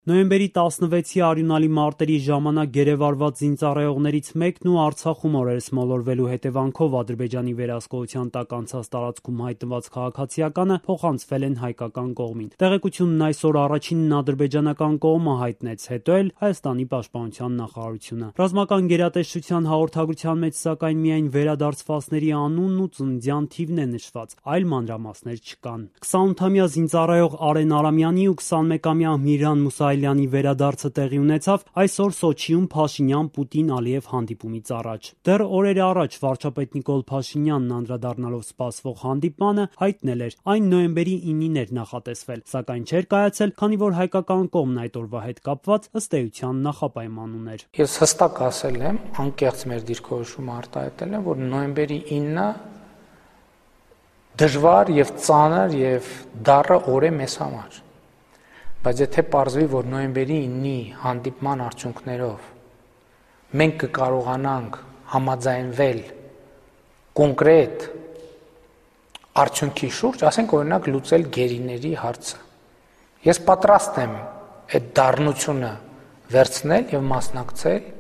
Նոյեմբերի 16-ի արյունալի մարտերի ժամանակ գերեվարված զինծառայողներից մեկն ու Արցախում օրերս մոլորվելու հետևանքով Ադրբեջանի վերահսկողության տակ անցած տարածքում հայտնված քաղաքացիականը փոխանցվել են հայկական կողմին։ Տեղեկությունն այսօր առաջինն ադրբեջանական կողմը հայտնեց, հետո էլ Հայաստանի պաշտպանության նախարարությունը։ Ռազմական գերատեսչության հաղորդագրության մեջ սակայն միայն վերադարձվածների անունն ու ծննդյան թիվն է նշված, այլ մանրամասներ չկան։ 28-ամյա զինծառայող Արեն Արամյանի ու 21-ամյա Միրան Մուսայելյանի վերադարձը տեղի ունեցավ այսօր Սոչիում Փաշինյան-Պուտին-Ալիև հանդիպումից առաջ։ Դեռ օրեր առաջ վարչապետ Նիկոլ Փաշինյանն անդրադառնալով սպասվող հանդիպմանը հայտնել էր, այն նոյեմբերի 9-ին էր նախատեսվել, սակայն չէր կայացել, քանի որ հայկական կողմն այդ օրվա հետ կապված ըստ էության նախապայման ուներ։ Ես հստակ ասել եմ, անկեղծ մեր դիրքորոշումը արտահայտել եմ, որ նոյեմբերի 9-ը դժվար եւ ծանր եւ դառը օր է մեզ համար։ Բայց եթե պարզվի, որ նոյեմբերի 9-ի հանդիպման արդյունքներով մենք կկարողանանք համաձայնվել կոնկրետ արդյունքի շուրջ, ասենք օրինակ լուծել գերիների հարցը, ես պատրաստ եմ այդ դառնությունը վերցնել եւ մասնակցել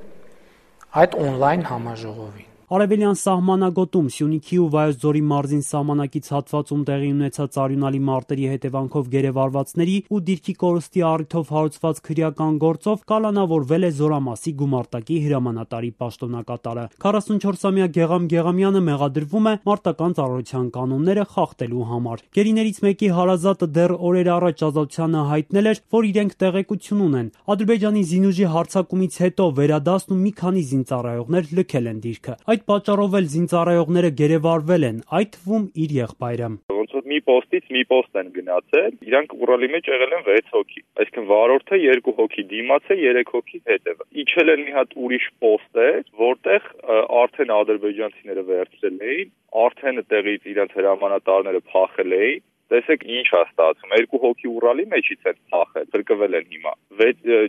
այդ on-line համաժողովին։ Արևելյան սահմանագոտում Սյունիքի ու Վայոց ձորի մարզին սահմանակից հատվածում տեղի ունեցած արյունալի մարտերի հետևանքով գերեվարվածների ու դիրքի կորստի առիթով հարուցված քրեական գործով կալանավորվել է Զորամասի գումարտակի հրամանատարի պաշտոնակատարը։ 44-ամյա Գեղամ Գեղամյանը մեղադրվում է մարտական ծառայության կանոնները խախտելու համար։ Գերիներից մեկի հարազատը դեռ օրեր առաջ ազատությանը հայտնել էր, որ իրենք տեղեկություն ունեն։ Ադրբեջանի զինուժի հարձակումից հետո վերադասն ու մի քանի զինծառայողներ լքել են դիրքը։ Այդ պատճառով էլ զինծառայողները գերեվարվել են, այդ թվում իր եղբայրը։ Ոնց որ մի պոստից մի պոստ են գնացել, իրանք Ուրալի մեջ եղել են 6 հոգի, այսինքն վարորդը 2 հոգի դիմաց է, 3 հոգի հետևը։ Իջել են մի հատ ուրիշ պոստ է, որտեղ արդեն ադրբեջանցիները վերցրել էին, արդեն տեղից իրենց հրամանատարները փախել էին։ Տեսեք ինչ է ստացվում, 2 հոգի Ուրալի մեջից են փախել, փրկվել են հիմա,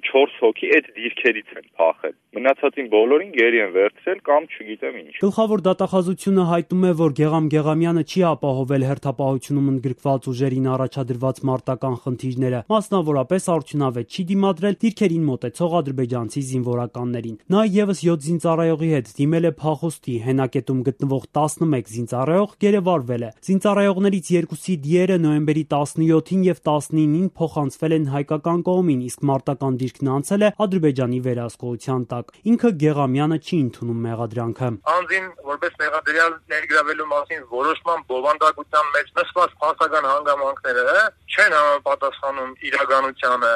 4 հոգի այդ դիրքերից են փախել, մնացածին բոլորին գերի են վերցրել կամ չգիտեմ ինչ։ Գլխավոր դատախազությունը հայտնում է, որ Գեղամ Գեղամյանը չի ապահովել հերթապահությունում ընդգրկված ուժերին առաջադրված մարտական խնդիրները, մասնավորապես արդյունավետ չի դիմադրել դիրքերին մոտեցող ադրբեջանցի զինվորականներին։ Նա եւս 7 զինծառայողի հետ դիմել է փախուստի, հենակետում գտնվող 11 զինծառայող գերեվարվել է։ Զինծառայողներից 2-ի դիերը նոյեմբերի 17-ին եւ 19-ին փոխանցվել են հայկական կողմին, իսկ մարտական դիրքն անցել է Ադրբեջանի վերահսկողության տակ։ Ինքը Գեղամյանը չի ընդունում մեղադրանքը։ Անձին որպես մեղադրյալ ներգրավելու մասին որոշման բովանդակության մեջ նշված փաստական հանգամանքները չեն համապատասխանում իրականությանը։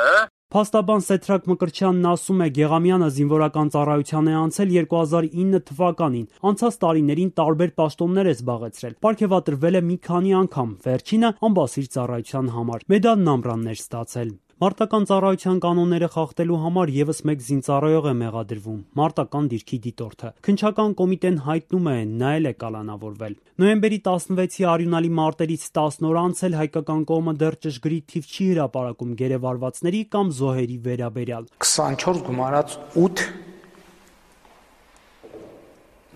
Փաստաբան Սեդրակ Մկրտչյանն ասում է, Գեղամյանը զինվորական ծառայության է անցել 2009 թվականին, անցած տարիներին տարբեր պաշտոններ է զբաղեցրել, պարգևատրվել է մի քանի անգամ, վերջինը ամբասիր ծառայության համար, մեդալն ամռանն էր ստացել։ Մարտական ծառայության կանոնները խախտելու համար եւս մեկ զինծառայող է մեղադրվում, մարտական դիրքի դիտորդը։ Քննչական կոմիտեն հայտնում է, նա էլ է կալանավորվել։ Նոյեմբերի 16-ի արյունալի մարտերից 10 օր անցել հայկական կողմը դեռ ճշգրիտ թիվ չի հրապարակում գերեվարվածների կամ զոհերի վերաբերյալ։ 24 գումարած 8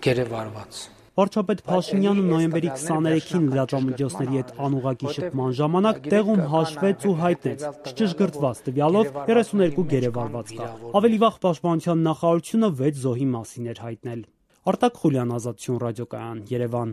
գերեվարված։ Վարչապետ Փաշինյանը նոյեմբերի 23-ին լրատվամիջոցների հետ անուղղակի շփման ժամանակ տեղում հաշվեց ու հայտնեց չճշգրտված տվյալով 32 գերեվարված կա։ Ավելի վաղ պաշտպանության նախարարությունը 6 զոհի մասին էր հայտնել։ Արտակ Խուլյան, Ազատություն ռադիոկայան, Երևան։